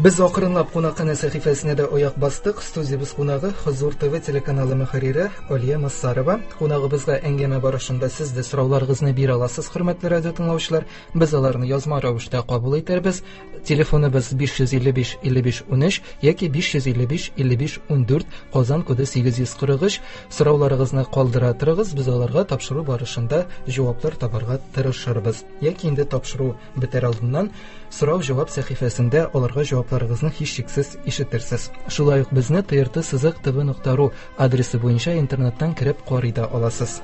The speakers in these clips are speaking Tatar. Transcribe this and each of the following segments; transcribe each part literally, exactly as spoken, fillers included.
Без акрынлап кунакханә сәхифәсенә дә аяк бастык. Студиябез кунагы Хозур ТВ телеканалы мөхәррире Алия Массарова. Кунагыбызга әңгәмә барышында сез дә сорауларыгызны бирә аласыз, хөрмәтле радио тыңлаучылар. Без аларны язма рәвештә кабул итәрбез. Телефоныбыз биш йөз илле биш илле биш унөч яки биш йөз илле биш илле биш ундүрт, Казан коды сигез йөз кырык өч. Сорауларыгызны калдыра торыгыз, без аларга тапшыру барышында җаваплар табарга тырышырбыз. Яки инде тапшыру бетәр алдыннан сорау-җавап сәхифәсендә аларга җавапларыгызны һичшиксез ишетерсез. Шулай ук безне Т Р Т сызык Т В нокта ру адресы буенча интернеттан кереп карый да аласыз.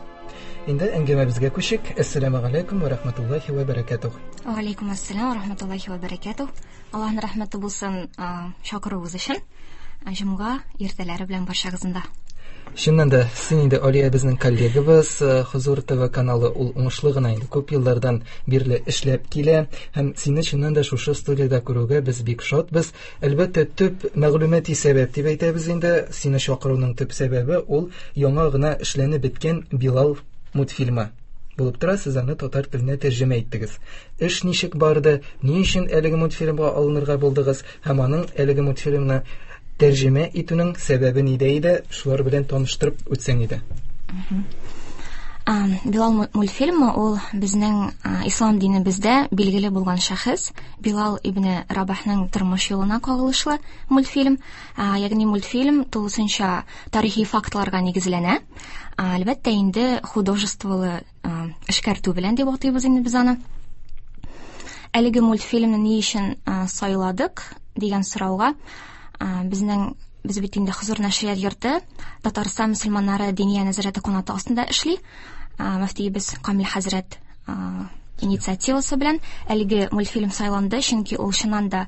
Инде әңгәмәбезгә күчик. Әссәламү галәйкүм ва рахматуллахи ва баракатух. Ва алейкум ассалам ва рахматуллахи ва баракатух. Аллаһның рәхмәте булсын, а, чакыруыгыз өчен. Җомга иртәләре белән барчагызны да. Чыннан да, син инде Алия безнең коллегабыз, э, Хозур ТВ каналы ул уңышлы гына инде күп еллардан бирле эшләп килә һәм сине чыннан да шушы студиядә күрүгә без бик шатбыз. Әлбәттә, төп мәгълүмати сәбәп дип әйтәбез инде, сине чакыруның төп сәбәбе ул яңа гына эшләнеп беткән Билал мультфильмы булып тора, сез аны татар теленә тәрҗемә иттегез. Эш ничек барды, ни өчен әлеге мультфильмга алынырга булдыгыз һәм аның әлеге мультфильмны тәрҗемә итүнең сәбәбе нидә иде, шулар белән таныштырып үтсәң иде. Мгм. А, Билал му-, мультфильмы ул безнең, а, ислам динебездә билгеле булган шәхес Билал ибн Рабахның тормыш юлына кагылышлы мультфильм. А, ягъни мультфильм тулысынча тарихи фактларга нигезләнә. А, әлбәттә инде художестволы, а, эшкәртү белән дип атыйбыз инде без аны. Әлеге мультфильмны ни өчен, а, сайладык дигән сорауга, а, безнең, без бит инде Хозур нәшрият йорты Татарстан мөселманнары диния нәзарәте канаты астында эшли. А, мөфтиебез Камил хәзрәт, а, инициативасы белән әлеге мультфильм сайланды, чөнки ул чыннан да,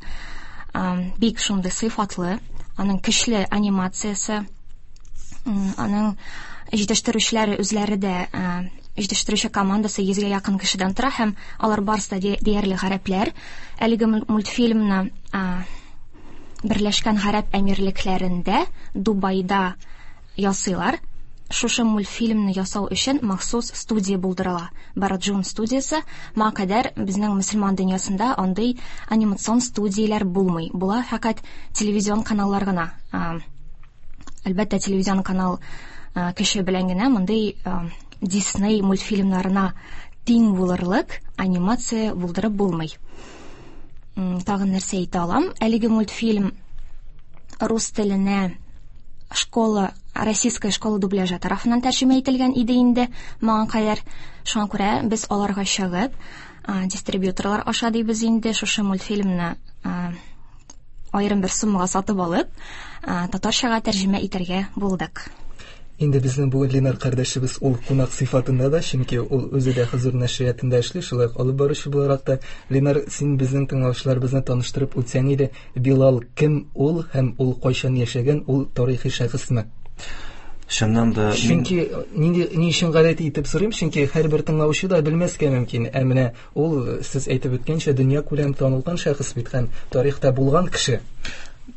а, бик шундый сыйфатлы, аның көчле анимациясе, м, аның җитештерүчеләре үзләре дә, а, җитештерүче командасы йөзгә якын кешедән тора һәм алар барысы да де-, диярлек гарәпләр. Әлеге мул-, мультфильмны, а, Берләшкән Гарәп Әмирлекләрендә, Дубайда ясыйлар. Шушы мультфильмны ясау өчен махсус студия булдырыла. Бараджун студиясе. Моңа кадәр безнең мөселман дөньясында андый анимацион студияләр булмый. Була фәкать телевизион каналлар гына. А, әлбәттә, телевизион канал, а, кеше белән генә мондый, а, Дисней мультфильмнарына тиң булырлык анимация булдырып булмый. М, тагын нәрсә әйтә алам? Әлеге мультфильм рус теленә школа, российская школа дубляжа тарафыннан тәрҗемә ителгән иде инде моңа кадәр. Шуңа күрә без аларга чыгып, а, дистрибьюторлар аша дибез инде шушы мультфильмны, а, аерым бер суммага сатып алып, а, татарчага тәрҗемә итәргә булдык. Инде безнең бүген Ленар кардәшебез ул кунак сыйфатында да, чөнки ул үзе дә Хозур нәшриятында эшли, шулай ук алып баручы буларак та. Ленар, син безнең тыңлаучыларыбызны таныштырып үтсәң иде, Билал кем ул һәм ул кайчан яшәгән, ул тарихи шәхесме? Чыннан да мин Чөнки нинди, ни өчен гадәти итеп сорыйм, чөнки һәрбер тыңлаучы да белмәскә мөмкин. Ә менә ул, сез әйтеп үткәнчә, дөнья күләм танылган шәхес бит һәм тарихта булган кеше.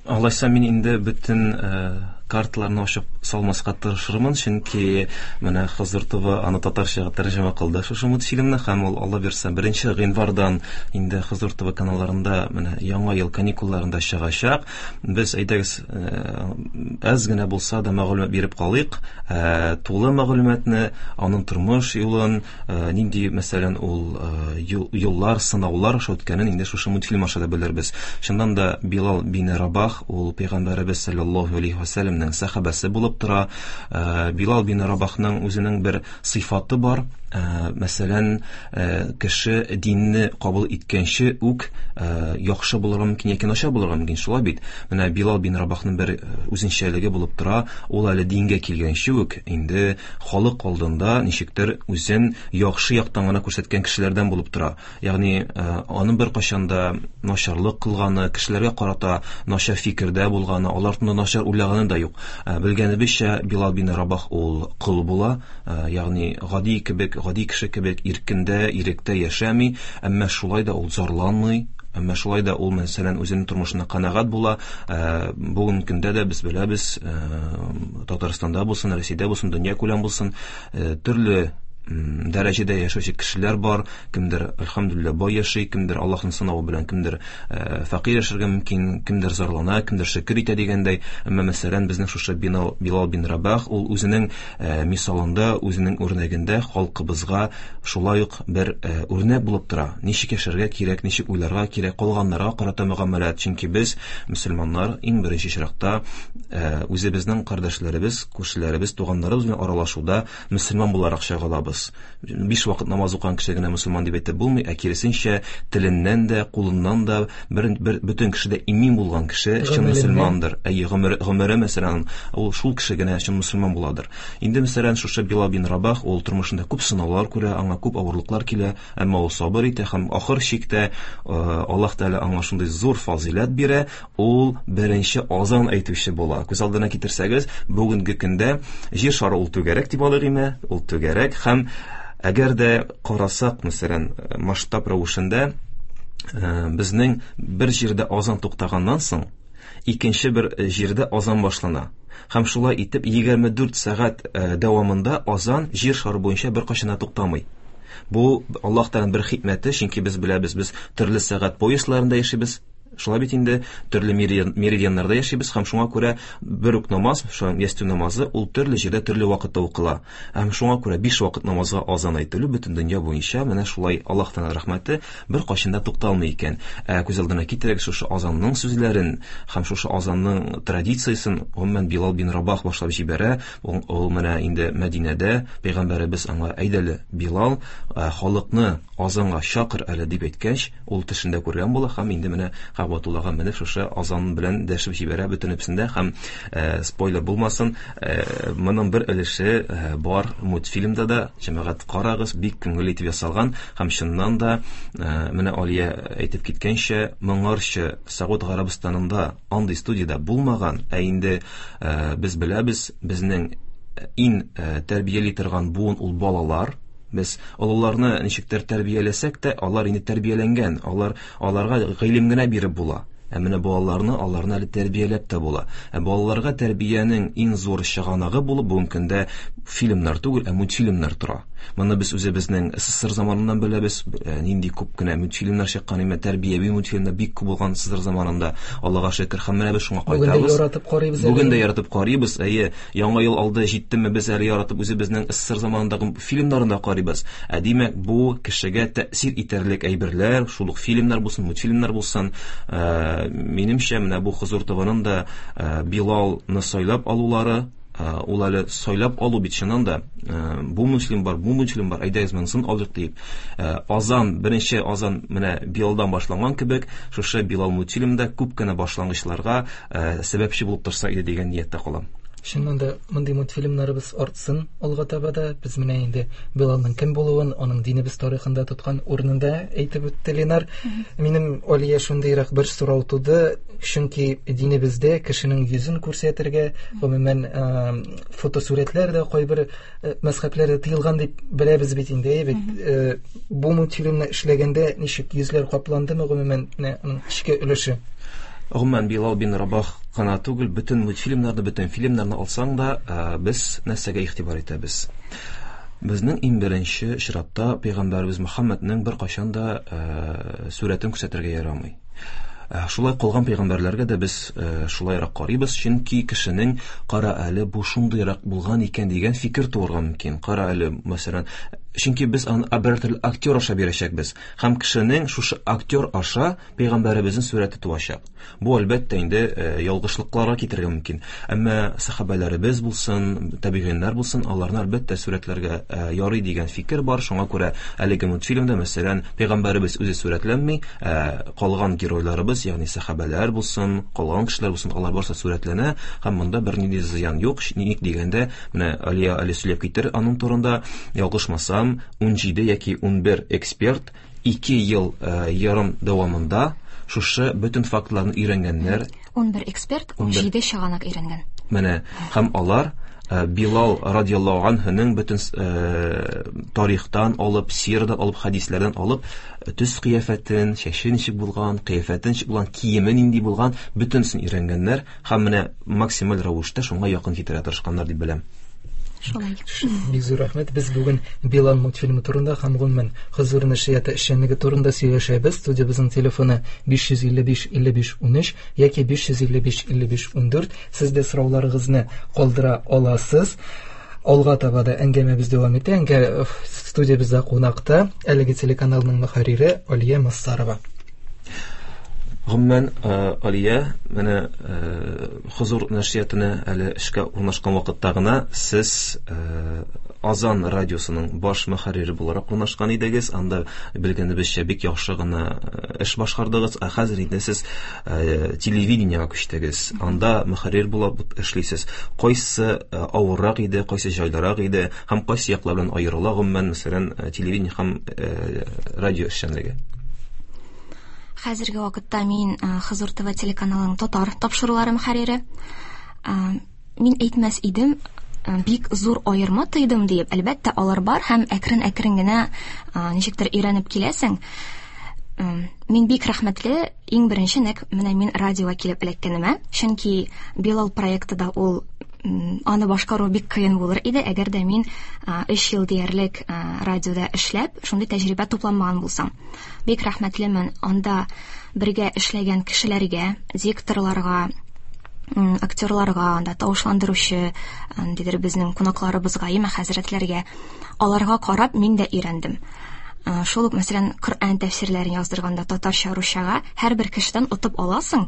Алайса мин инде бөтен, э, карталарны ачып салмаска тырышырмын, чөнки менә Хозур ТВ аны татарчага тәрҗемә кылды шушы мультфильмны һәм ул Алла бирсә беренче гыйнвардан инде Хозур ТВ каналларында менә яңа ел каникулларында чыгачак. Без әйдәгез, э, әз генә булса да мәгълүмат биреп калыйк. Э, тулы мәгълүматны, аның тормыш юлын, э, нинди, мәсәлән, ул, э, юл, юллар, сынаулар аша үткәнен инде шушы мультфильм аша да белербез. Чыннан да Билал бин Рабах ул пәйгамбәребез саллаллаһу алейһи ва сәлләмнең сәхабәсе булып тора. Э, Билал бин Рабахның үзенең бер сыйфаты бар. Э, мәсәлән, э, кеше динне кабул иткәнче үк, э, яхшы булырга мөмкин яки начар булырга мөмкин, шулай бит. Менә Билал бин Рабахның бер, э, үзенчәлеге булып тора. Ул әле дингә килгәнче үк инде халык алдында ничектер үзен яхшы яктан гына күрсәткән кешеләрдән булып тора. Ягъни, э, аның бер кайчан да начарлык кылганы, кешеләргә карата начар фикердә булганы, алар турында начар уйлаганы да юк. Э, белгәнебезчә, Билал бин Рабах ул кол була, э, ягъни гади кебек, гади кеше кебек иркендә, иректә яшәми, әмма шулай да ул зарланмый, әмма шулай да ул, мәсәлән, үзенең тормышына канәгать була. Э, бүгенге көндә дә без беләбез, э, Татарстанда булсын, Россиядә булсын, дөнья күләм булсын, э, төрле дәрәҗәдә яшәүче кешеләр бар, кемдер әлхәмдүлилләһ бай яши, кемдер Аллаһның сынавы белән, кемдер фәкыйрь яшәргә мөмкин, кемдер зарлана, кемдер шөкер итә дигәндәй. Әмма мәсәлән, безнең шушы Билал бин Рабах ул үзенең мисалында, үзенең үрнәгендә халкыбызга шулай ук бер үрнәк булып тора. Ничек яшәргә кирәк, ничек уйларга кирәк, калганнарга карата мөгамәләт. Чөнки без мөселманнар иң беренче чиратта үзебезнең кардәшләребез, күршеләребез, туганнарыбыз белән аралашуда мөселман буларак чагылабыз. Биш вакыт намаз укыган кеше генә мөселман дип әйтеп булмый, ә киресенчә теленнән дә, кулыннан да бер, бер бөтен кеше дә имин булган кеше чын мөселмандыр. Әйе, гомере, гомере мәсәлән, ул шул кеше генә чын мөселман буладыр. Инде мәсәлән, шушы Билал бин Рабах ул тормышында күп сынаулар күрә, аңа күп авырлыклар килә, әмма ул сабыр итә һәм ахыр чиктә Аллаһ Тәгалә аңа шундый зур фазыйләт бирә, ул беренче азан әйтүче була. Күз алдына китерсәгез, бүгенге көндә җир шары ул түгәрәк дип алыйк име, ул түгәрәк һәм әгәр дә карасак, мәсәлән, масштаб рәвешендә безнең бер җирдә азан туктаганнан соң икенче бер җирдә азан башлана. Һәм шулай итеп егерме дүрт сәгать дәвамында азан җир шары буенча беркайчан да туктамый. Бу Аллаһ Тәгаләнең бер хикмәте, чөнки без беләбез, без төрле сәгать поясларында яшибез. Шулай бит инде, төрле меридианнарда яшибез һәм шуңа күрә бер үк намаз, шул ястү намазы, ул төрле җирдә төрле вакытта укыла. Һәм шуңа күрә биш вакыт намазга азан әйтелү бөтен дөнья буенча менә шулай Аллаһ Тәгалә рәхмәте бер кайчан да тукталмый икән. Ә күз алдына китерәк шушы азанның сүзләрен һәм шушы азанның традициясен гомумән Билал бин Рабах башлап җибәрә. Ул, ул менә инде Мәдинәдә пәйгамбәребез аңа әйдәле Билал, халыкны азанга чакыр әле дип әйткәч, ул төшендә күргән була һәм инде менә Кәгъбәтуллага менеп шушы азан белән дәшеп җибәрә бөтенесендә һәм э, спойлер булмасын, э, моның бер өлеше э, бар мультфильмда да, җәмәгать карагыз, бик күңелле итеп ясалган һәм чыннан да э, менә Алия әйтеп киткәнчә, моңарчы Сауд Гарәбстанында андый студияда булмаган, ә инде э, без беләбез, безнең иң э, тәрбияли торган буын ул балалар. Без олыларны ничектер тәрбияләсәк тә, алар инде тәрбияләнгән, алар аларга гыйлем генә биреп була. Ә менә балаларны, аларны әле тәрбияләп тә була. Ә балаларга тәрбиянең иң зур чыганагы булып бүгенге көндә фильмнар түгел, ә мультфильмнар тора. Моны без үзебезнең СССР заманыннан беләбез, нинди күп кенә мультфильмнар чыккан, имә тәрбияви мультфильмнар бик күп булган СССР заманында. Аллаһка шөкер, һәм менә без шуңа кайтабыз. Бүген дә яратып карыйбыз. Бүген дә яратып карыйбыз. Әйе, яңа ел алды җиттеме, без әле яратып үзебезнең СССР заманындагы фильмнарын да карыйбыз. Ә димәк, бу кешегә тәэсир итәрлек әйберләр, шул ук фильмнар булсын, мультфильмнар булсын. Минемчә, менә бу Хозур ТВ-ның да Билалны сайлап алулары, ул әле сайлап алу бит чыннан да, бу мультфильм бар, бу мультфильм бар, әйдәгез монысын алыйк диеп. Азан, беренче азан менә Билалдан башланган кебек, шушы Билал мультфильмда күп кенә башлангычларга сәбәпче булып торса иде дигән нияттә калам. Чыннан да мондый мультфильмнарыбыз артсын алга таба да. Без менә инде Билалның кем булуын, аның динебез тарихында тоткан урынын да әйтеп үтте Ленар. Минем Алия шундыйрак бер сорау туды, чөнки динебездә кешенең йөзен күрсәтергә, гомумән фотосурәтләр дә кайбер мәзһәбләрдә тыелган дип беләбез бит инде, әйе бит. Бу мультфильмны эшләгәндә ничек йөзләр капландымы, гомумән менә аның эчке өлеше? Гомумән Билал бин Рабах кына түгел, бөтен мультфильмнарны, бөтен фильмнарны алсаң да, без нәрсәгә игътибар итәбез? Безнең иң беренче чиратта пәйгамбәребез Мөхәммәднең беркайчан да сурәтен күрсәтергә ярамый. Шулай калган пәйгамбәрләргә дә без шулайрак карыйбыз, чөнки кешенең кара әле бу шундыйрак булган икән дигән фикер туырга мөмкин. Кара әле, мәсәлән, чөнки без аны бер төрле актер аша бирәчәкбез һәм кешенең шушы актер аша пәйгамбәребезнең сурәте туачак. Бу әлбәттә инде ялгышлыкларга китерергә мөмкин. Әмма сахабәләребез булсын, табигыйннар булсын, аларны әлбәттә сурәтләргә ярый дигән фикер бар. Шуңа күрә әлеге мультфильмда, мәсәлән, пәйгамбәребез үзе сурәтләнми, калган геройларыбыз, ягъни сахабәләр булсын, калган кешеләр булсын, алар барсы сурәтләнә һәм монда бернинди зыян юк. Ник дигәндә, менә Алия әле сөйләп китер аның турында, ялгышмасам, ун җиде яки ун бер эксперт ике ел ярым дәвамында шушы бөтен фактларны өйрәнгәннәр. ун бер эксперт ун җиде чыганак өйрәнгән. Менә һәм алар Билал радиаллаһу анһуның бөтен тарихтан алып, сирадан алып, хадисләрдән алып, төс кыяфәтен, чәче ничек булган, кыяфәте ничек булган, киеме нинди булган, бөтенсен өйрәнгәннәр һәм менә максималь рәвештә шуңа якын китерә тырышканнар дип беләм. Шулай. Бик зур рәхмәт. Без бүген Билал мультфильмы турында һәм гомумән Хозур нәшрияты эшчәнлеге турында сөйләшәбез. Студиябезнең телефоны биш йөз илле биш илле биш унөч яки биш йөз илле биш илле биш ундүрт. Сез дә сорауларыгызны калдыра аласыз. Алга таба да әңгәмәбез дәвам итә. Әңгә студиябездә кунакта әлеге телеканалның мөхәррире Алия Массарова. Гомумән, Алия, менә Хозур нәшриятына әле эшкә урнашкан вакытта гына сез Азан радиосының баш мөхәррире буларак урнашкан идегез. Анда белгәнебезчә бик яхшы гына эш башкардыгыз. Ә хәзер инде сез телевидениегә күчтегез. Анда мөхәррир булып эшлисез. Кайсы авыррак иде, кайсы җайлырак иде һәм кайсы яклар белән аерыла гомумән, мәсәлән, телевидение һәм радио эшчәнлеге? Хәзерге вакытта мин Хозур ТВ телеканалының татар тапшырулары мөхәррире. Мин әйтмәс идем, бик зур аерма тойдым диеп. Әлбәттә, алар бар һәм әкрен-әкрен генә ничектер өйрәнеп киләсең. Мин бик рәхмәтле, иң беренче нәкъ менә мин радиога килеп эләккәнемә, чөнки Билал проекты да ул аны башкару бик кыен булыр иде, әгәр дә мин өч ел диярлек радиода эшләп, шундый тәҗрибә тупламаган булсам. Бик рәхмәтлемен анда бергә эшләгән кешеләргә, дикторларга, актерларга, анда тавышландыручы, ниндидер безнең кунакларыбызга, имә хәзрәтләргә, аларга карап мин дә өйрәндем. Шул ук, мәсәлән, Коръән тәфсирләрен яздырганда татарча, русчага һәрбер кешедән отып аласың.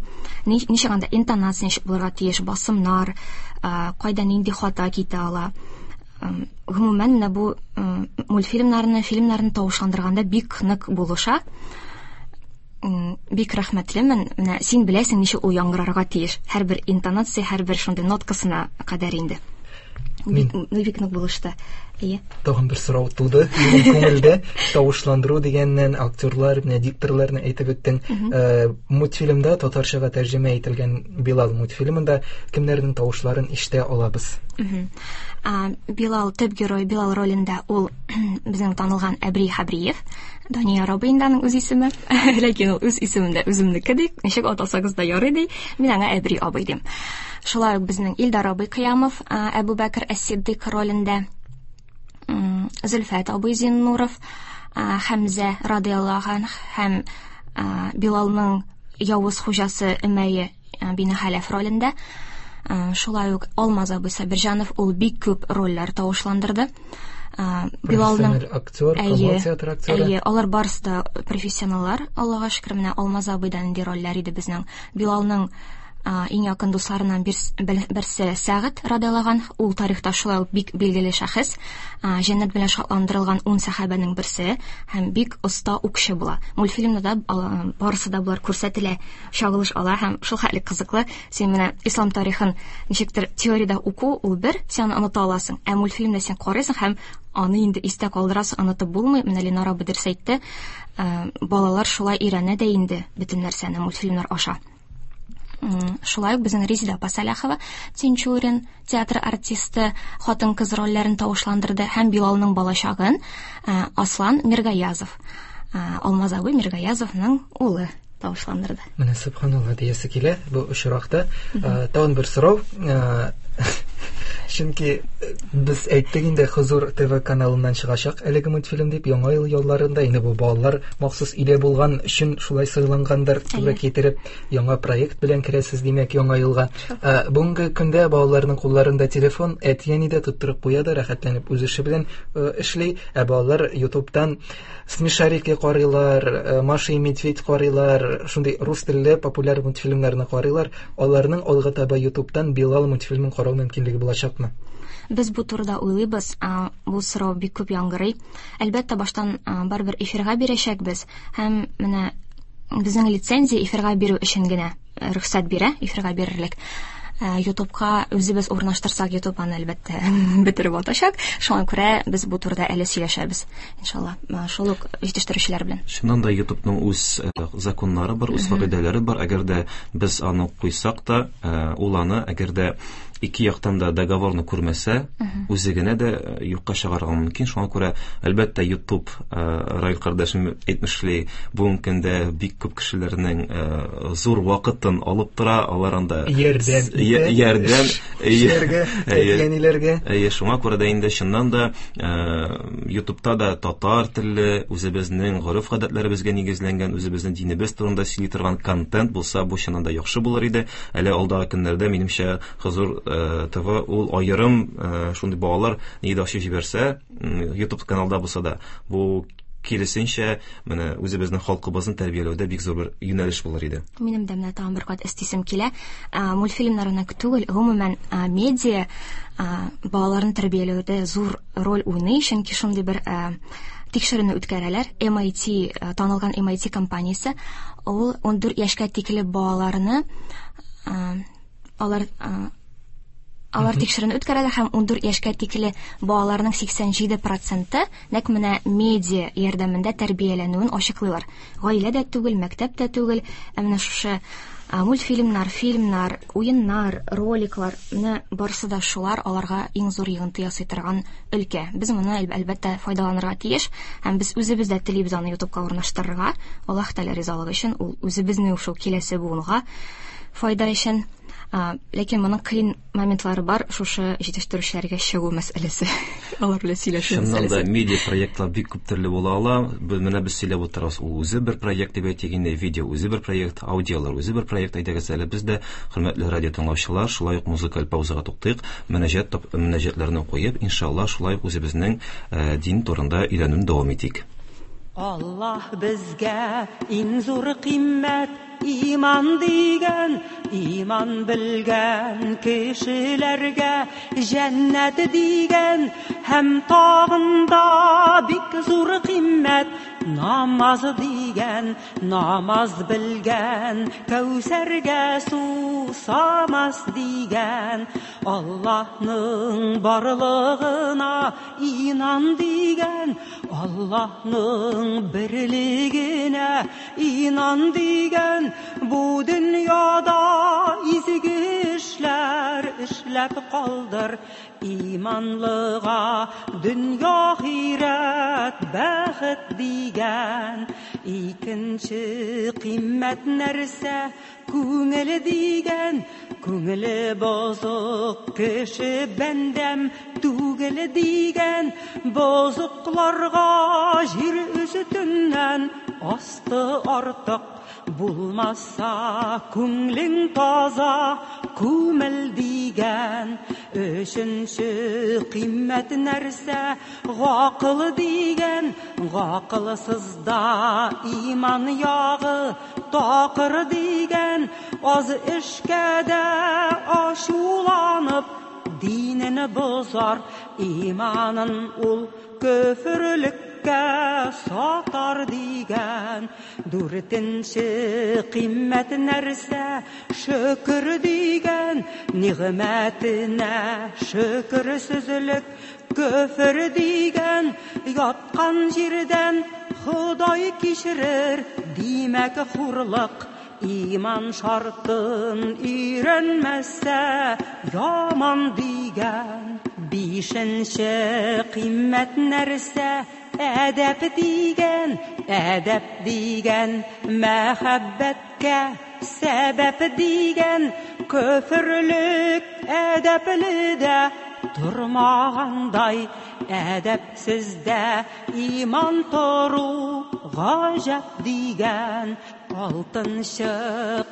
Ничек анда интонация ничек булырга тиеш, басымнар, кайда нинди хата китә ала. Гомумән, менә бу мультфильмнарны, фильмнарны тавышландырганда бик нык булыша. Бик рәхмәтлемен. Менә син беләсең ничек ул яңгырарга тиеш. Һәрбер интонация, һәрбер шундый ноткасына кадәр инде. Бик, бик нык булышты. Әйе. Тагын бер сорау туды минем күңелдә. Тавышландыру дигәннән актерлар, менә дикторларны әйтеп үттең. Мультфильмда татарчага тәрҗемә ителгән Билал мультфильмында кемнәрнең тавышларын ишетә алабыз? Билал төп герой Билал ролендә ул безнең танылган Әбри Хәбриев, Дания Рабыйнданың үз исеме. Ләкин ул үз исемендә үземнеке ди, ничек атасагыз да ярый ди. Мин аңа Әбри абый дим. Шулай ук безнең Илдар абый Кыямов, Әбу Бәкер әс-Сиддик ролендә, Зөлфәт абый Зиннуров, Хәмзә радиаллаһу анһ һәм Билалның явыз хуҗасы Өмәйе бине Хәләф ролендә. Шулай ук Алмаз абый Сабирҗанов, ул бик күп рольләр тавышландырды. Билалның актер, Камал театры актеры. Әйе, алар барысы да профессионаллар, Аллага шөкер, менә Алмаз абыйдан нинди рольләр иде безнең. Билалның иң якын дусларыннан берсе Сәгать радиаллаһу анһ, ул тарихта шулай ук бик билгеле шәхес, җәннәт белән шатландырылган ун сәхабәнең берсе һәм бик оста укчы була. Мультфильмда да барысы да булар күрсәтелә, чагылыш ала һәм шул хәтле кызыклы. Син менә ислам тарихын ничектер теориядә уку ул бер, син аны оныта аласың, ә мультфильмда син карыйсың һәм аны инде истә калдырасың, онытып булмый. Менә Ленара абый дөрес әйтте, балалар шулай өйрәнә дә инде бөтен нәрсәне мультфильмнар аша. Шулай ук безнең Резида апа Сәләхова, Тинчурин театр артисты, хатын-кыз рольләрен тавышландырды һәм Билалның балачагын Аслан Миргаязов, Алмаз абый Миргаязовның улы тавышландырды. Менә субханалла диясе килә бу очракта. Тагын бер сорау. Чөнки без әйттек инде, Хозур ТВ каналыннан чыгачак әлеге мультфильм дип, яңа ел ялларында инде бу балалар махсус иле булган өчен шулай сайлангандыр, туры китереп яңа проект белән керәсез, димәк, яңа елга. Бүгенге көндә балаларның кулларында телефон, әти-әни дә тоттырып куя да, рәхәтләнеп үз эше белән эшли, ә балалар YouTube'тан Смешарики карыйлар, Маша и Медведь карыйлар, шундый рус телле популяр мультфильмнарны карыйлар. Аларның алга таба YouTube'тан Билал мультфильмын карау мөмкинлеге булачакмы? Без бу турыда уйлыйбыз, бу сорау бик күп яңгырый. Әлбәттә, баштан барыбер эфирга бирәчәкбез һәм менә безнең лицензия эфирга бирү өчен генә рөхсәт бирә, эфирга бирерлек. YouTube'ка үзебез урнаштырсак, YouTube аны әлбәттә бетереп атачак. Шуңа күрә без бу турыда әле сөйләшәбез, иншалла, шул ук җитештерүчеләр белән. Чыннан да YouTube'ның үз законнары бар, үз кагыйдәләре бар. Әгәр дә без аны куйсак та, ул аны әгәр дә ике яктан да договорны күрмәсә, үзе генә дә юкка чыгарырга мөмкин. Шуңа күрә, әлбәттә, YouTube, Раил кардәшем әйтмешли, бүгенге көндә бик күп кешеләрнең зур вакытын алып тора, алар анда ярдәм ярдәм эшләргә, әти-әниләргә. Әйе, шуңа күрә дә инде чыннан да YouTube'та да татар телле, үзебезнең гореф-гадәтләребезгә нигезләнгән, үзебезнең динебез турында сөйли торган контент булса, бу чыннан да яхшы булыр иде. Әле алдагы көннәрдә минемчә Хозур ТВ ул аерым шундый балалар нидә ачып җибәрсә, YouTube каналда булса да, бу киресенчә менә үзебезнең халкыбызны тәрбияләүдә бик зур бер юнәлеш булыр иде. Минем дә менә тагын бер кат өстисем килә. Мультфильмнар гына түгел, гомумән медиа балаларны тәрбияләүдә зур роль уйный, чөнки шундый бер тикшеренү үткәрәләр. эм ай ти, танылган эм ай ти компаниясе, ул ун дүрт яшькә тикле балаларны алар Алар тикшеренү үткәрәләр һәм ун дүрт яшькә тикле балаларның сиксән җиде проценты нәкъ менә медиа ярдәмендә тәрбияләнүен ачыклыйлар. Гаилә дә түгел, мәктәп тә түгел, ә менә шушы мультфильмнар, фильмнар, уеннар, роликлар, менә барысы да шулар аларга иң зур йогынты ясый торган өлкә. Без моны әлбәттә файдаланырга тиеш һәм без үзебез дә телибез аны YouTube'ка урнаштырырга. Аллаһ Тәгалә ризалыгы өчен, ул үзебезнең шул киләсе буынга файда өчен. Ләкин моның кыен моментлары бар, шушы җитештерүчеләргә чыгу мәсьәләсе. Алар белән сөйләшү мәсьәләсе. Чыннан да медиа проектлар бик күп төрле була ала. Менә без сөйләп утырабыз, ул үзе бер проект дип әйтик инде, видео үзе бер проект, аудиолар үзе бер проект. Әйдәгез әле без дә, хөрмәтле радио тыңлаучылар, шулай ук музыкаль паузага туктыйк, мөнәҗәт мөнәҗәтләрне куеп, иншалла, шулай ук үзебезнең дин турында өйрәнүне дәвам итик. Аллаһ безгә иң зур кыйммәт иман дигән, иман белгән кешеләргә җәннәт дигән, һәм тагын да бик зур кыйммәт намаз дигән, намаз белгән Кәүсәргә сусамас дигән, Аллаһның барлыгына инан дигән, Аллаһның берлегенә инан дигән, бу дөньяда изге эшләр эшләп калдыр, иманлыга дөнья ахирәт бәхет дигән. Икенче кыйммәт нәрсә күңел дигән, күңеле бозык кеше бәндәм түгел дигән, бозыкларга җир өстеннән асты артык булмаса күңлең таза күмел дигән. Өченче кыйммәт нәрсә гакыл дигән, гакылсызда иман ягы такыр дигән, аз эшкә дә ачуланып динен бозар, иманын ул көферлеккә сатар дигән. Дүртенче кыйммәт нәрсә шөкер дигән, нигъмәтенә шөкерсезлек көфер дигән, яткан җирдән Ходай кичерер димәк хурлык, иман шартын өйрәнмәсә яман дигән. Бишенче кыйммәт нәрсә әдәп дигән, әдәп дигән мәхәббәткә сәбәп дигән, көферлек әдәпле дә тормагандай, әдәпсездә иман тору гаҗәп дигән. Алтынчы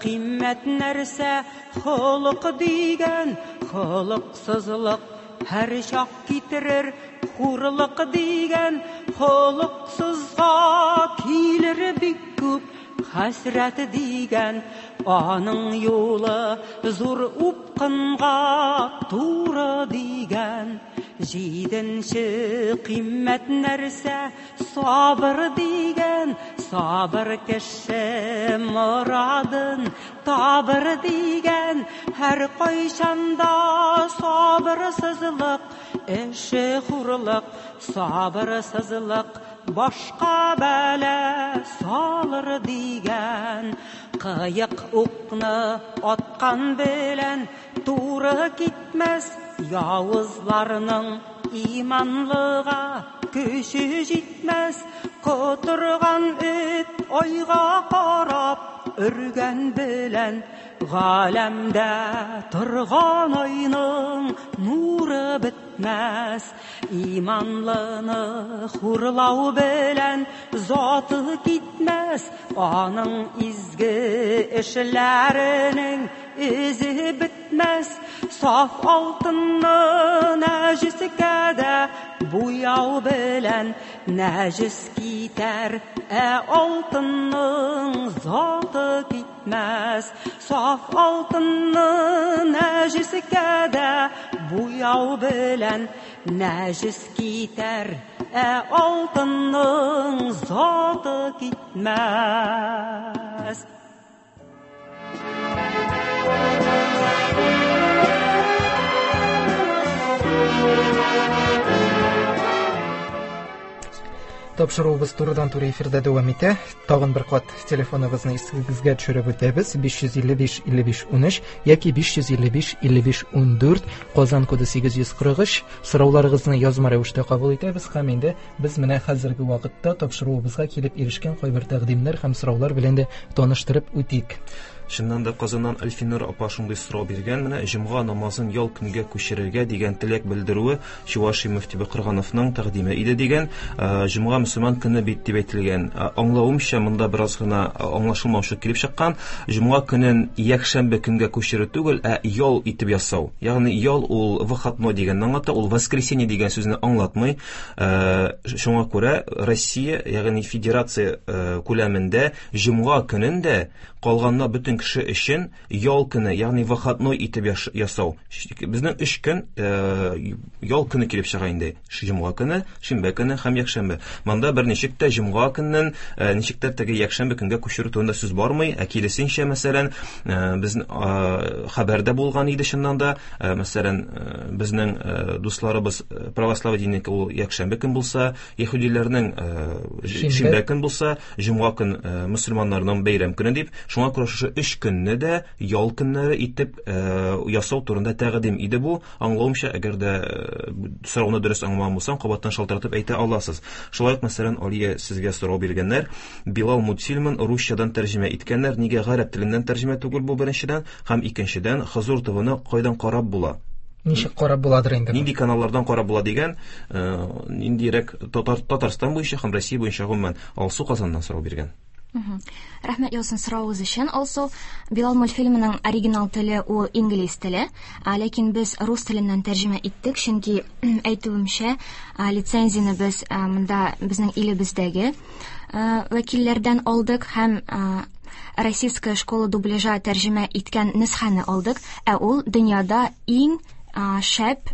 кыйммәт нәрсә холык дигән, холыксызлык һәр чак китерер хурлык дигән, холыксызга килер бик күп хәсрәт дигән, аның юлы зур упкынга туры дигән. Җиденче кыйммәт нәрсә сабыр дигән, сабыр кеше морадын табыр дигән, һәр кайчанда сабырсызлык эше хурлык, сабырсызлык башка бәла салыр дигән. Кыек укны аткан белән туры китмәс, явызларның иманлыга көче җитмәс, котырган эт айга карап өргән белән Галәмдә торган айның нуры бетмәс. Иманлыны хурлау белән заты китмәс. Аның изге эшләренең эзе бетмәс. Саф алтынны нәҗескә дә буяу белән нәҗес китәр, ә алтынның заты китмәс. Саф алтынны нәҗескә дә буяу белән нәҗес китәр, ә алтынның заты китмәс. Тапшыруыбыз турыдан-туры эфирда дәвам итә. Тагын бер кат телефоныбызны исегезгә төшереп үтәбез: биш йөз илле биш илле биш унөч яки биш йөз илле биш илле биш ундүрт, Казан коды сигез йөз кырык өч. Сорауларыгызны язма рәвештә кабул итәбез һәм инде без менә хәзерге вакытта тапшыруыбызга килеп ирешкән кайбер тәкъдимнәр һәм сораулар белән дә таныштырып үтик. Чыннан да Казаннан Әлфинур апа шундый сорау биргән: менә җомга намазын ял көнгә күчерергә дигән теләк белдерүе Чувашия мөфтибе Кыргановның тәкъдиме иде дигән. Җомга мөселман көне бит дип әйтелгән. Аңлавымча, монда бераз гына аңлашылмаучылык килеп чыккан. Җомга көнен якшәмбе көнгә күчерү түгел, ә ял итеп ясау. Ягъни ял ул выходной дигәнне аңлата, ул воскресенье дигән сүзне аңлатмый. Шуңа күрә Россия, ягъни федерация күләмендә җомга көнен дә калганна бөтен кеше өчен ял көне, ягъни выходной итеп ясау. Безнең өч көн ял көне килеп чыга инде. Җомга көне, шимбә көне һәм якшәмбе. Монда берничек тә җомга көннән ничек тә теге якшәмбе көнгә күчерү турында сүз бармый. Ә киресенчә, мәсәлән, безнең хәбәрдә булган иде чыннан да, мәсәлән, безнең дусларыбыз православие диненеке ул якшәмбе көн булса, яһүдиләрнең шимбә көн булса, җомга көн мөселманнарның бәйрәм көне дип, шуңа күрә шушы өч көнне дә ял көннәре итеп ясау турында тәкъдим иде бу. Аңлавымча, әгәр дә сорауны дөрес аңламаган булсам, кабаттан шалтыратып әйтә аласыз. Шулай ук, мәсәлән, Алия, сезгә сорау биргәннәр. Билал мультфильмын русчадан тәрҗемә иткәннәр. Нигә гарәп теленнән тәрҗемә түгел бу, беренчедән, һәм икенчедән, Хозур ТВ-ны кайдан карап була? Ничек карап буладыр инде? Нинди каналлардан карап була дигән, ниндирәк Татар, Татарстан буенча һәм Россия буенча гомумән. Алсу Казаннан сорау биргән. Рәхмәт яусын сорауыгыз өчен, Алсу. Билал мультфильмының оригинал теле ул инглиз теле, ләкин без рус теленнән тәрҗемә иттек, чөнки әйтүемчә, лицензияне без монда безнең илебездәге вәкилләрдән алдык һәм Российская школа дубляжа тәрҗемә иткән нөсхәне алдык, ә ул дөньяда иң шәп,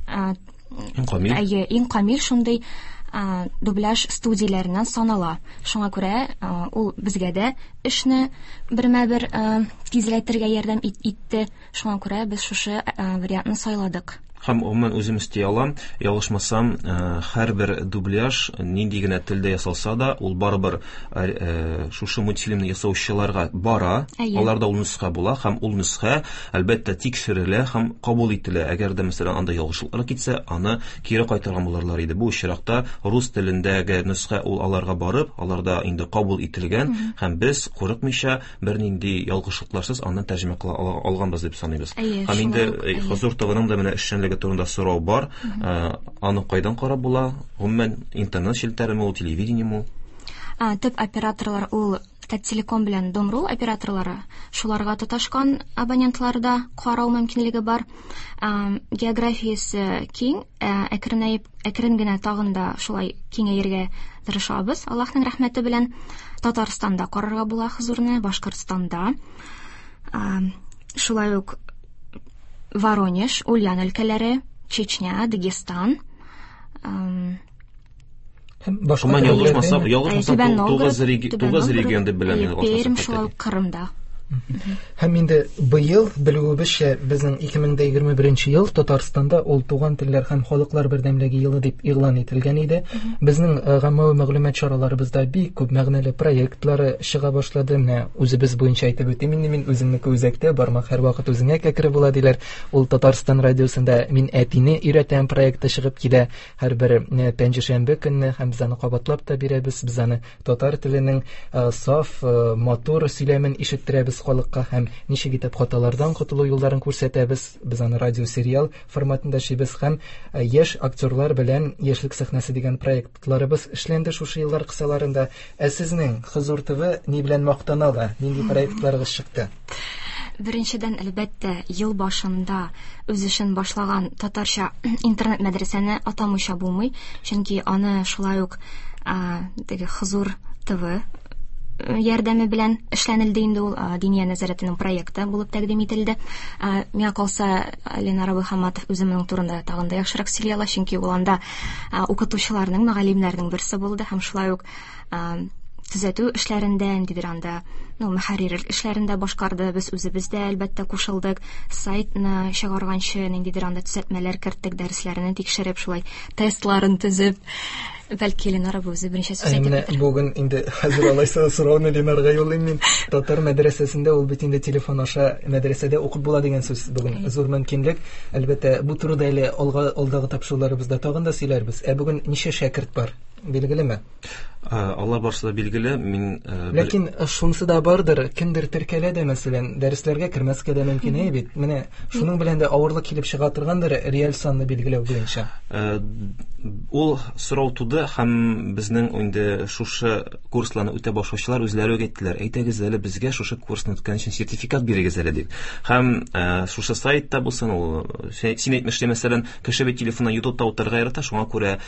иң камил, әйе, иң камил шундый дубляж студияләреннән санала. Шуңа күрә ул безгә дә эшне бермә-бер тизләтергә ярдәм итте. Шуңа күрә без шушы вариантны сайладык. Һәм гомумән үзем өсти алам, ялгышмасам, һәрбер дубляж нинди генә телдә ясалса да, ул барыбер шушы мультфильмны ясаучыларга бара, аларда ул нөсхә була һәм ул нөсхә әлбәттә тикшерелә һәм кабул ителә. Әгәр дә мәсәлән анда ялгышлыклар китсә, аны кире кайтарган булырлар иде. Бу очракта рус телендәге нөсхә ул аларга барып, аларда инде кабул ителгән һәм без курыкмыйча бернинди ялгышлыкларсыз аны тәрҗемә кыла алганбыз дип саныйбыз. Һәм инде Хозур ТВ-ның да менә эшчәнлеге турында сорау бар. Аны кайдан карап була? Гомумән интернет челтәреме ул, телевидениеме ул? Төп операторлар ул Таттелеком белән Домру операторлары. Шуларга тоташкан абонентларда карау мөмкинлеге бар. Географиясе киң, әкренәеп, әкрен генә тагын да шулай киңәергә тырышабыз. Аллаһның рәхмәте белән Татарстанда карарга була Хозурны, Башкортстанда. Шулай ук Воронеж, Ульян өлкәләре, Чечня, Дагестан. Башка ялгышмасам, ялгышмасам, тугыз регион дип беләм мин. Пермь, шулай ук Кырымда. Һәм инде быел белүебезчә, безнең ике мең дә егерме беренче ел Татарстанда ул туган телләр һәм халыклар бердәмлеге елы дип игълан ителгән иде. Безнең гаммәви мәгълүмат чараларыбызда бик күп мәгънәле проектлары чыга башлады. Менә үзебез буенча әйтеп үтим инде, мин үземнеке үзәктә, бармак һәрвакыт үзеңә кәкре була диләр. Ул Татарстан радиосында Мин әтине өйрәтәм проекты чыгып килә һәрбер пәнҗешәмбе көнне, һәм без аны кабатлап та бирәбез. Без аны татар теленең саф, матур сөйләмен ишеттерәбез халыкка һәм ничек итеп хаталардан котылу юлларын күрсәтәбез. Без аны радиосериал форматында эшлибез һәм яшь актерлар белән Яшьлек сәхнәсе дигән проектларыбыз эшләнде шушы еллар кысаларында. Ә сезнең Хозур ТВ ни белән мактана ала? Нинди проектларыгыз чыкты? Беренчедән, әлбәттә, ел башында үз эшен башлаган татарча интернет мәдрәсәне атамыйча булмый, чөнки аны шулай ук теге Хозур ТВ ярдәме белән эшләнелде инде ул, Диния нәзарәтенең проекты булып тәкъдим ителде. Миңа калса, Ленар абый Хаматов үзе моның турында тагын да яхшырак сөйли ала, чөнки ул анда укытучыларның, мөгаллимнәрнең берсе булды һәм шулай ук төзәтү эшләрендә, ниндидер анда, ну, мөхәррирлек эшләрендә башкарды. Без үзебез дә әлбәттә кушылдык. Сайтны чыгарганчы ниндидер анда төзәтмәләр керттек, дәресләрне тикшереп, шулай тестларын төзеп. Бәлки Ленар абый үзе берничә сүз әйтеп үтәр. Бүген инде хәзер алайса сорауны Ленарга юллыйм мин. Татар мәдрәсәсендә ул бит инде телефон аша мәдрәсәдә укып була дигән сүз бүген зур мөмкинлек. Әлбәттә, бу турыда әле алга алдагы тапшыруларыбызда тагын да сөйләрбез. Ә бүген ничә шәкерт бар? Билгелеме? Алар барысы да билгеле. Мин Ләкин шунысы да бардыр, кемдер теркәлә дә, мәсәлән, дәресләргә кермәскә дә мөмкин әй бит. Менә шуның белән дә авырлык килеп чыга торгандыр реаль санны билгеләү буенча. Ул сорау туды һәм безнең инде шушы курсларны үтә башлаучылар үзләре үк әйттеләр. Әйтегез әле безгә шушы курсны үткән өчен сертификат бирегез әле дип. Һәм шушы сайтта булсын ул, син әйтмешли, мәсәлән, кеше бит телефоннан YouTube'та утырырга ярата, шуңа күрә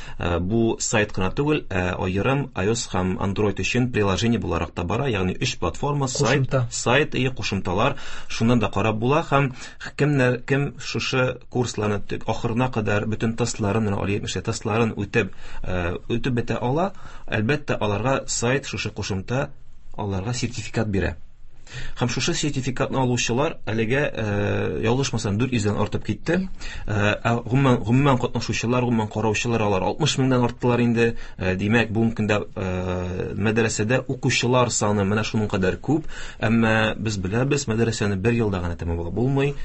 бу сайт кына түгел, аерым iOS һәм Android өчен приложение буларак та бара, ягъни өч платформа, сайт, сайт и кушымталар, шуннан да карап була һәм кемнәр кем шушы курсларны ахырына кадәр бөтен тестларын, менә Алия әйтмешли, тестларын үтеп, үтеп бетә ала, әлбәттә, аларга сайт шушы кушымта аларга сертификат бирә. Һәм шушы сертификатны алучылар әлегә, ялгышмасам, дүрт йөздән артып китте. Ә гомумән, гомумән катнашучылар, гомумән караучылар алар алтмыш меңнән арттылар инде. Димәк, бүгенге көндә мәдрәсәдә укучылар саны менә шуның кадәр күп. Әмма без беләбез, мәдрәсәне бер елда гына тәмамлап булмый.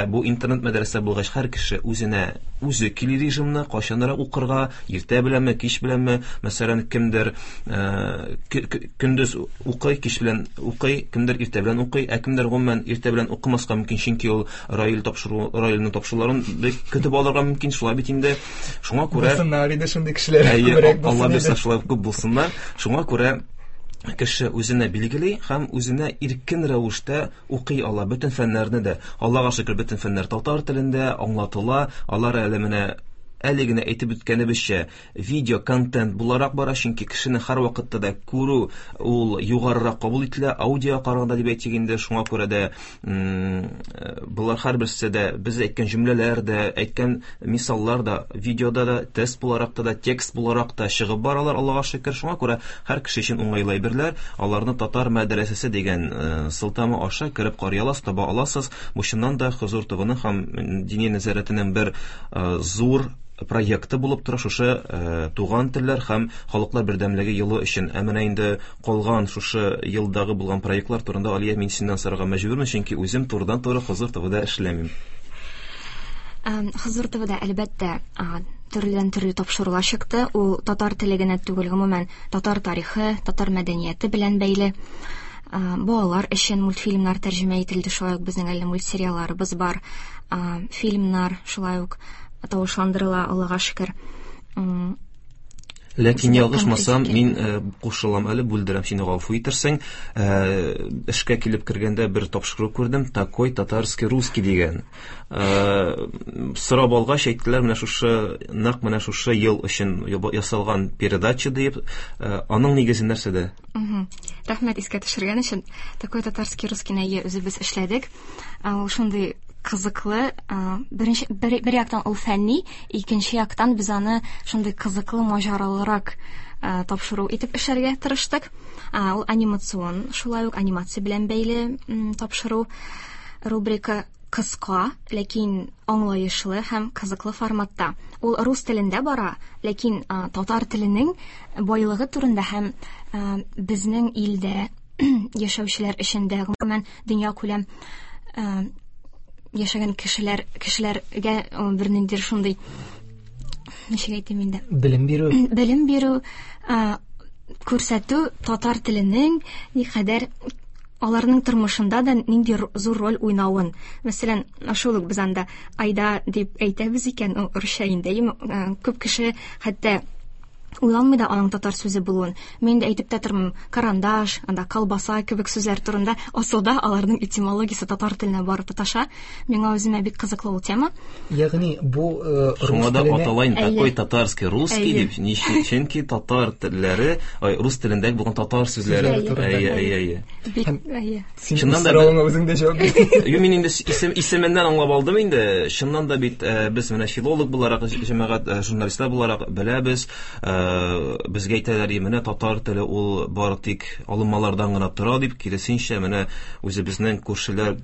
Бу интернет мәдрәсә булгач, һәр кеше үзенә үзе кили режимны, кайчанрак укырга, иртә беләнме, кич беләнме, мәсәлән, кемдер көндез укый, кич белән укый, кемдер иртә белән укый, ә кемдер гомумән иртә белән укымаска мөмкин, чөнки ул Раил тапшыру, Раилнең тапшыруларын бик көтеп алырга мөмкин, шулай бит инде. Шуңа күрә булсыннар иде шундый кешеләр, күбрәк булсын. Алла бирсә, шулай күп булсыннар. Шуңа күрә кеше үзенә билгели һәм үзенә иркен рәвештә укый ала бөтен фәннәрне дә. Аллага шөкер, бөтен фәннәр татар телендә аңлатыла. Алар әле менә әле генә әйтеп үткәнебезчә, видео контент буларак бара, чөнки кешене һәр вакытта да күрү ул югарырак кабул ителә, аудио караганда дип әйтик инде. Шуңа күрә дә болар һәрберсе дә без әйткән җөмләләр дә, әйткән мисаллар да видеода да, тест буларак та, текст буларак та чыгып баралар, Аллага шөкер. Шуңа күрә һәр кеше өчен уңайлы әйберләр. Аларны Татар мәдрәсәсе дигән сылтама аша кереп карый аласыз, таба аласыз. Бу чыннан да Хозур ТВның һәм Диния нәзарәтенең бер зур проекты булып тора шушы туган телләр һәм халыклар бердәмлеге елы өчен. Ә менә инде калган шушы елдагы булган проектлар турында, Алия, мин синнән сорарга мәҗбүрмен, чөнки үзем турыдан-туры Хозур ТВда эшләмим. Хозур ТВда әлбәттә төрледән төрле тапшырулар чыкты. Ул татар теле генә түгел, гомумән татар тарихы, татар мәдәнияте белән бәйле. Балалар өчен мультфильмнар тәрҗемә ителде, шулай ук безнең әле мультсериалларыбыз бар, фильмнар шулай ук тавышландырыла, Аллага шөкер. Ләкин ялгышмасам, мин кушылам әле, бүлдерәм сине, гафу итерсең. Эшкә килеп кергәндә бер тапшыру күрдем, такой татарский русский дигән. Сорап алгач әйттеләр, менә шушы, нәкъ менә шушы ел өчен ясалган передача дип. Аның нигезе нәрсәдә? Рәхмәт искә төшергән өчен. Такой татарский русский нәйе үзебез эшләдек. Ул шундый кызыклы, беренче бер, бер яктан ул фәнни, икенче яктан без аны шундый кызыклы, маҗаралырак тапшыру итеп эшләргә тырыштык. Ул анимацион, шулай ук анимация белән бәйле тапшыру. Рубрика кыска, ләкин аңлаешлы һәм кызыклы форматта. Ул рус телендә бара, ләкин татар теленең байлыгы турында һәм безнең илдә яшәүчеләр эчендә, гомумән дөнья күләм яшәгән кешеләр, кешеләргә берниндидер шундый, ничек әйтим инде, белем бирү, белем бирү, күрсәтү татар теленең никадәр аларның тормышында да нинди зур роль уйнавын. Мәсәлән, шул ук без анда айда дип әйтәбез икән, ул русча инде. Күп кеше хәтта уйланмый да аның татар сүзе булуын. Мин дә әйтеп тә тормыйм, карандаш, анда колбаса кебек сүзләр турында. Асылда аларның этимологиясе татар теленә барып тоташа. Миңа үземә бик кызыклы ул тема. Ягъни бу шуңа да аталайн такой татарский русский дип, чөнки татар телләре, ай, рус телендәге булган татар сүзләре. Әйе, әйе, әйе. Бик әйе. Чыннан да соравыңа үзең дә җавап бирдең. Юк, мин инде исем исеменнән аңлап алдым инде. Чыннан да бит без менә филолог буларак, җәмәгать журналистлар буларак беләбез, безгә әйтәләр, менә татар теле ул бары тик алынмалардан гына тора дип, киресенчә, менә үзебезнең күршеләр,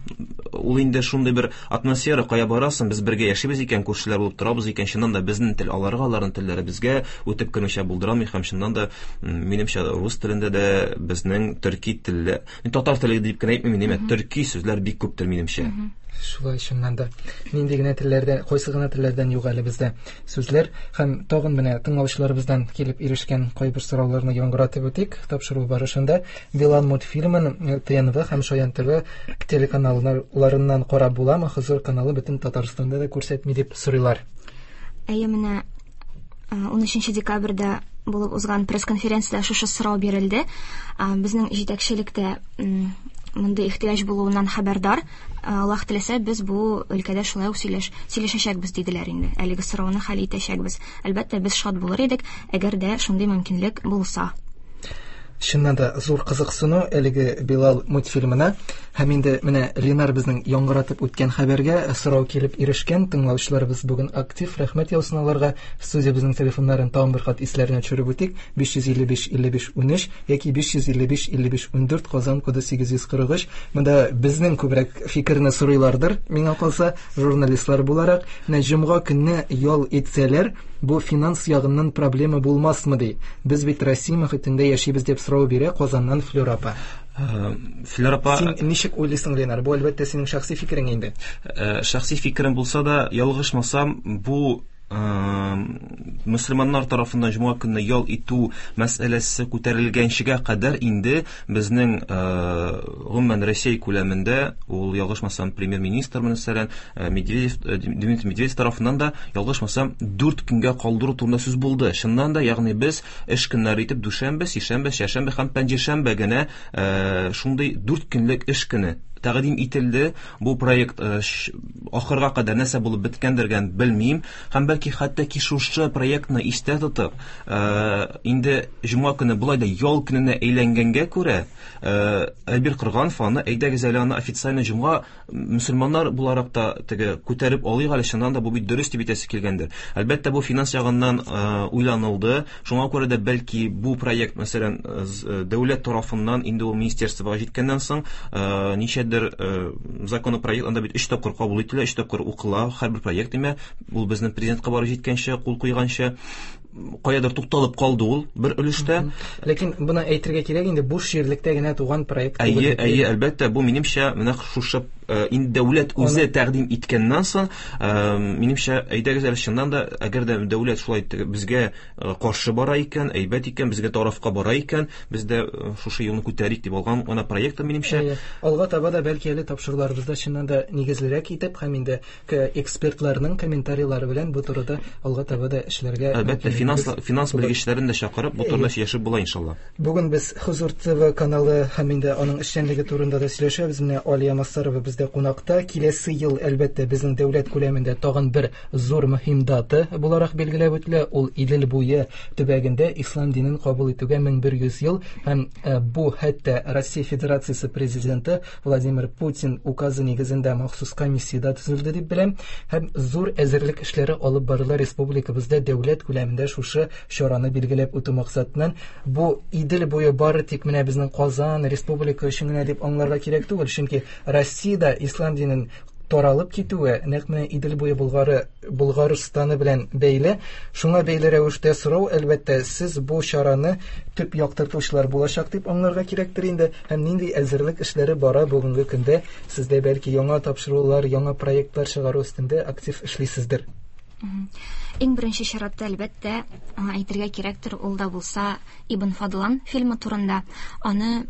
ул инде шундый бер атмосфера, кая барасың, без бергә яшибез икән, күршеләр булып торабыз икән, чыннан да безнең тел аларга, аларның телләре безгә үтеп кермичә булдырамый һәм чыннан да, минемчә, рус телендә дә безнең төрки телле, татар теле дип кенә әйтмим, инде төрки сүзләр бик күптер минемчә. Шулай, чыннан да. Нинди генә телләрдән, кайсы гына телләрдән юк әле бездә сүзләр. Һәм тагын менә тыңлаучыларыбыздан килеп ирешкән кайбер сорауларны яңгыратып үтик. Тапшыру барышында Билал мультфильмын Т Н В һәм Шаян Т В телеканалларыннан карап буламы? Хозур каналы бөтен Татарстанда да күрсәтми дип сорыйлар. Әйе, менә унөченче декабрьдә булып узган пресс-конференциядә шушы сорау бирелде. Безнең җитәкчелектә мондый ихтыяҗ булуыннан хәбәрдар. Аллаһ теләсә, без бу өлкәдә шулай ук сөйләш, сөйләшәчәкбез диделәр инде. Әлеге сорауны хәл итәчәкбез. Әлбәттә, без шат булыр идек, әгәр дә шундый мөмкинлек булса. Чыннан да зур кызыксыну әлеге Билал мультфильмына. Һәм инде менә Ленар безнең яңгыратып үткән хәбәргә сорау килеп ирешкән. Тыңлаучыларыбыз бүген актив, рәхмәт яусын аларга. Студиябезнең телефоннарын тагын бер кат исләренә төшереп үтик. биш йөз илле биш илле биш унөч яки биш йөз илле биш илле биш ундүрт, Казан коды сигез йөз кырык өч. Монда безнең күбрәк фикерне сорыйлардыр, миңа калса, журналистлар буларак. Менә җомга көнне ял итсәләр, бу финанс ягыннан проблема булмасмы ди. Без бит Россия мөхитендә яшибез дип сорау бирә Казаннан Флюр апа. Флюр апа, син ничек уйлыйсың, Ленар? Бу әлбәттә синең шәхси фикерең инде. Шәхси фикерем булса да, ялгышмасам, бу мөселманнар тарафыннан җомга көнне ял итү мәсьәләсе күтәрелгәнчегә кадәр инде безнең гомумән Россия күләмендә, ул ялгышмасам, премьер-министр мәсәлән, Медведев, Дмитрий Медведев тарафыннан да ялгышмасам дүрт көнгә калдыру турында сүз булды. Чыннан да, ягъни без эш көннәре итеп дүшәмбе, сишәмбе, чәршәмбе һәм пәнҗешәмбе генә шундый дүрт көнлек эш көне тәкъдим ителде. Бу проект ахырга кадәр нәрсә булып беткәндер белмим. Һәм бәлки хәтта ки шушы проектны истә тотып, инде җомга көне болай да ял көненә әйләнгәнгә күрә, Әлбир Кырганов аны әйдәгез әле аны официально җомга мөселманнар буларак та теге күтәреп алыйк әле, чыннан да бу бит дөрес дип әйтәсе килгәндер. Әлбәттә, бу финанс ягыннан уйланылды. Шуңа күрә дә бәлки бу проект, мәсәлән, дәүләт тарафыннан инде ул министерствога җиткәннән соң, ничәдер законопроект анда бит өч тапкыр кабул ителә, өч тапкыр укыла һәрбер проект, димә, ул безнең президентка барып җиткәнче, кул куйганчы каядыр тукталып калды ул бер өлештә. Ләкин моны әйтергә кирәк инде, буш җирлектә генә туган проект түгел. Әйе, әйе, әлбәттә, бу минемчә менә шушы инде дәүләт үзе тәкъдим иткәннән соң, минемчә, әйдәгез әле чыннан да, әгәр дә дәүләт шулай безгә каршы бара икән, әйбәт икән, безгә тарафка бара икән, без дә шушы юлны күтәрик дип алган ана проекты минемчә. Алга таба да бәлки әле тапшыруларыбызда чыннан да нигезлерәк итеп һәм инде экспертларның комментарийлары белән бу турыда алга таба да эшләргә. Әлбәттә, финанс, финанс белгечләрен дә чакырып, бу турыда сөйләшеп була иншалла. Бүген без Хозур Т В каналы һәм инде аның эшчәнлеге турында да сөйләшәбез. Менә Алия Массарова бездә кунакта. Киләсе ел әлбәттә безнең дәүләт күләмендә тагын бер зур мөһим дата буларак билгеләп үтелә. Ул Идел буе төбәгендә ислам динен кабул итүгә мең бер йөз ел һәм бу хәтта Россия Федерациясе президенты Владимир Путин указы нигезендә махсус комиссия төзелде дип беләм. Һәм зур әзерлек эшләре алып барыла республикабызда дәүләт күләмендә шушы чараны билгеләп үтү максатыннан. Бу Идел буе бары тик менә безнең Казан республика өчен генә дип аңларга кирәк түгел, чөнки Россиядә ислам динен таралып китүе нәкъ менә Идел буе Болгары, Болгарстаны белән бәйле. Шуңа бәйле рәвештә сорау, әлбәттә, сез бу чараны төп яктыртучылар булачак дип аңларга кирәктер инде. Һәм нинди әзерлек эшләре бара бүгенге көндә? Сездә бәлки яңа тапшырулар, яңа проектлар чыгару өстендә актив эшлисездер. Иң беренче чиратта, әлбәттә, әйтергә кирәктер, ул да булса Ибн Фадлан фильмы турында. Аны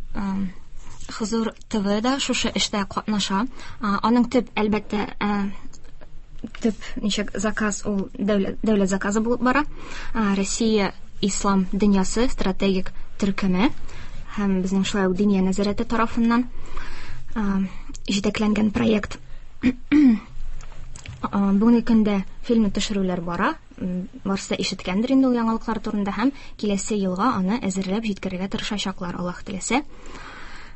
Хозур ТВ да шушы эштә катнаша. Аның төп, әлбәттә, төп ничек заказ ул дәүләт, дәүләт заказы булып бара. Россия Ислам дөньясы стратегик төркеме һәм безнең шулай ук Диния нәзарәте тарафыннан җитәкләнгән проект. Бүгенге көндә фильмны төшерүләр бара. Барысы да ишеткәндер инде ул яңалыклар турында һәм киләсе елга аны әзерләп җиткерергә тырышачаклар, Аллаһ теләсә.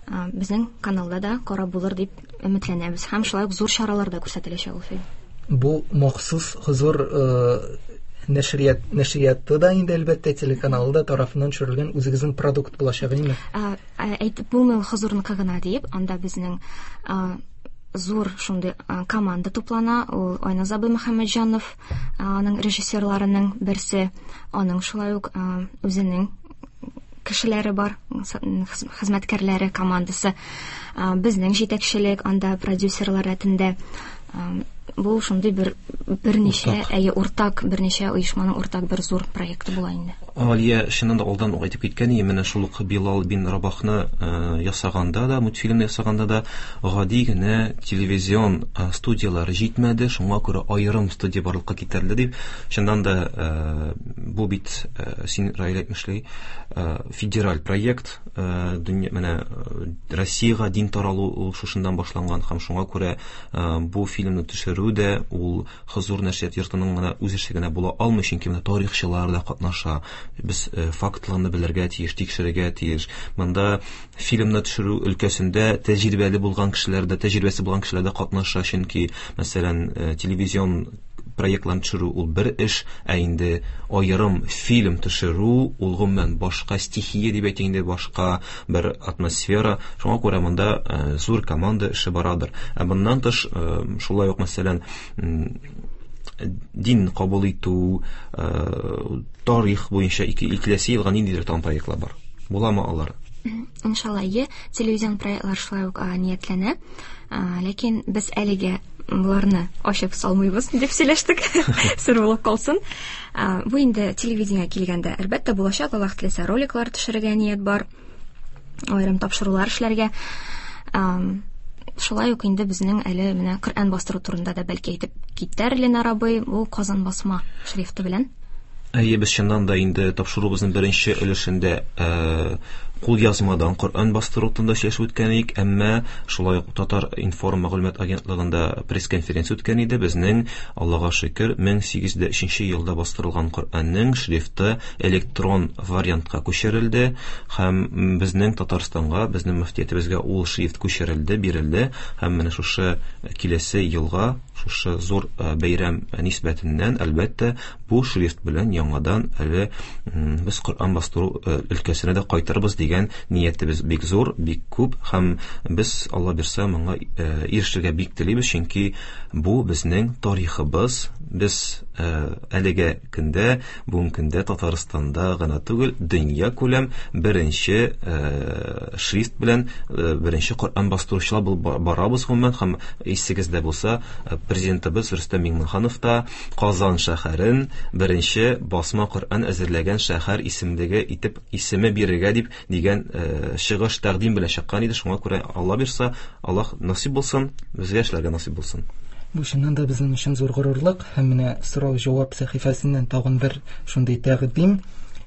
Безнең каналда да карап булыр дип өметләнәбез һәм шулай ук зур чараларда күрсәтеләчәк ул фильм. Бу махсус Хозур нәшрият нәшрияты да инде әлбәттә телеканалы да тарафыннан төшерелгән үзегезнең продукт булачак, әйеме? Әйтеп булмый Хозурныкы гына дип, анда безнең зур шундый команда туплана. Ул Айназ абый Мөхәммәтҗанов, аның режиссерларының берсе, аның шулай ук үзенең кешеләре бар, хезмәткәрләре, командасы. Безнең җитәкчелек, анда продюсерлар рәтендә. Бу шундый бер берничә, әйе, уртак, берничә оешманың уртак бер зур проекты була инде. Алия, чыннан да алдан ук әйтеп киткән иде, менә шул ук Билал бин Рабахны ясаганда да, мультфильмны ясаганда да гади генә телевизион студияләр җитмәде, шуңа күрә аерым студия барлыкка китерелде дип. Чыннан да бу бит, син Раил әйтмешли, федераль проект, дөнья, менә Россиягә дин таралу ул шушыннан башланган һәм шуңа күрә бу фильмны төшерү дә ул Хозур нәшрият йортының гына үз эше генә була алмый, чөнки менә тарихчылар да катнаша. Без фактларны белергә тиеш, тикшерергә тиеш. Монда фильмны төшерү өлкәсендә тәҗрибәле булган кешеләр дә, тәҗрибәсе булган кешеләр дә катнаша, чөнки, мәсәлән, телевизион проектларын төшерү ул бер эш, ә инде аерым фильм төшерү ул гомумән башка стихия дип әйтик инде, башка бер атмосфера. Шуңа күрә монда зур команда эше барадыр. Ә моннан тыш, шулай ук, мәсәлән, дин кабул итү, тарих буенча ике киләсе елга ниндидер тагын проектлар бар. Буламы алар? Иншалла, е, телевизион проектлар шулай ук ниятләнә. Ләкин без әлегә буларны ачып салмыйбыз дип сөйләштек. Сер булып калсын. Бу инде телевидениегә килгәндә, әлбәттә, булачак, Аллаһ теләсә, роликлар төшерергә ният бар, аерым тапшырулар эшләргә. Шулай ук инде безнең әле менә Коръән бастыру турында да бәлки әйтеп китәр Ленар абый, бу Казан басма шрифты белән. Әйе, без чыннан да инде тапшыруыбызның беренче өлешендә кулъязмадан Коръән бастыру турында сөйләшеп үткән идек, әмма шулай ук Татар информ мәгълүмат агентлыгында пресс-конференция үткән иде. Безнең, Аллага шөкер, мең сигез йөз өченче елда бастырылган Коръәннең шрифты электрон вариантка күчерелде һәм безнең Татарстанга, безнең мөфтиятебезгә ул шрифт күчерелде, бирелде һәм менә шушы киләсе елга, шушы зур бәйрәм нисбәтеннән, әлбәттә, бу шрифт белән яңадан әле без Коръән бастыру өлкәсенә дә кайтырбыз дигән ниятебез бик зур, бик күп һәм без, Алла бирсә, моңа ирешергә бик телибез, чөнки бу безнең тарихыбыз. Без әлеге көндә, бүгенге көндә Татарстанда гына түгел, дөнья күләм беренче шрифт белән беренче Коръән бастыручылар булып барабыз гомумән. Һәм исегездә булса, президентыбыз Рөстәм Миңнеханов та Казан шәһәрен беренче басма Коръән әзерләгән шәһәр исемлеге итеп исеме бирергә дип дигән чыгыш тәкъдим белән чыккан иде. Шуңа күрә Алла бирсә, Аллаһ насыйп булсын, безгә эшләргә насыйп булсын. Бу чыннан да безнең өчен зур горурлык. Һәм менә сорау-җавап сәхифәсеннән тагын бер шундый тәкъдим.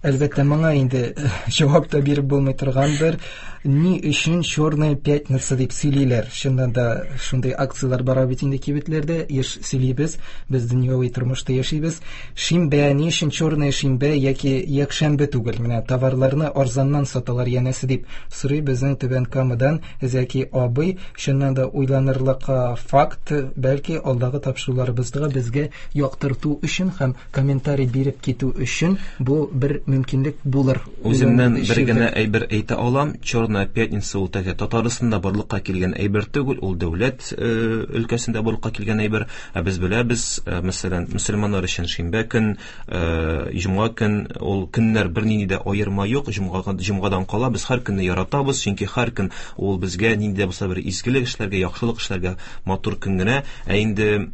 Әлбәттә, моңа инде җавап та биреп булмый торгандыр. Ни өчен Черная пятница дип сөйлиләр? Чыннан да шундый акцияләр бара бит инде кибетләрдә, еш сөйлибез, без дөньяви тормышта яшибез. Шимбә, ни өчен Черная шимбә яки якшәмбе түгел? Менә товарларны арзаннан саталар янәсе дип сорый безнең Түбән Камадан Зәки абый. Чыннан да уйланырлык факт, бәлки алдагы тапшыруларыбызда безгә яктырту өчен һәм комментарий биреп китү өчен бу бер мөмкинлек булыр. Үземнән бер генә әйбер әйтә алам. Черная пятница ул тәгә Татарстанда барлыкка килгән әйбер түгел, ул дәүләт өлкәсендә барлыкка килгән әйбер. Ә без беләбез, мәсәлән, мөселманнар өчен шимбә көн, җомга көн, ул көннәр бернинди дә аерма юк. Җомга, җомгадан кала без һәр көнне яратабыз, чөнки һәр көн ул безгә нинди дә булса бер изгелек эшләргә, яхшылык эшләргә матур көн генә. Ә инде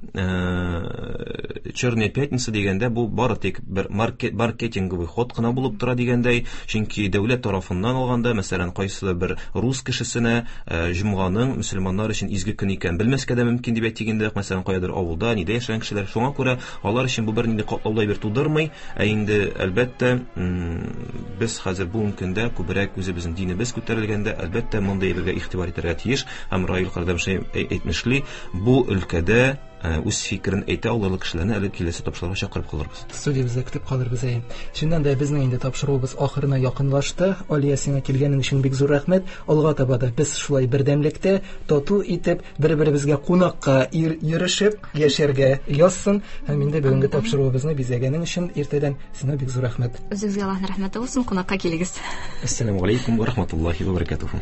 Черная пятница дигәндә бу бары тик бер маркет, маркетинговый ход кына булып тора дигәндәй, чөнки дәүләт тарафыннан алганда, мәсәлән, кайсыдыр бер рус кешесенә җомганың мөселманнар өчен изге көн икән белмәскә дә мөмкин дип әйтик инде, мәсәлән, каядыр авылда, нидә яшәгән кешеләр, шуңа күрә алар өчен бу бернинди катлаулы әйбер тудырмый. Ә инде әлбәттә, без хәзер бүгенге көндә күбрәк үзебезнең динебез күтәрелгәндә, әлбәттә, мондый әйбергә игътибар итәргә тиеш. Һәм Раил кардәшем әйтмешли, бу өлкәдә үз фикерен әйтә алырлык кешеләрне әле киләсе тапшыруга чакырып калырбыз. Студиябездә көтеп калырбыз, әйе. Чыннан да безнең инде тапшыруыбыз ахырына якынлашты. Алия, сиңа килгәнең өчен бик зур рәхмәт. Алга таба да без шулай бердәмлектә, тату итеп, бер-беребезгә кунакка йөрешеп яшәргә язсын. Һәм инде бүгенге тапшыруыбызны бизәгәнең өчен иртәдән сиңа бик зур рәхмәт. Үзегезгә Аллаһның рәхмәте булсын, кунакка килегез. Ассаламу алейкум ва рахматуллахи ва баракатуху.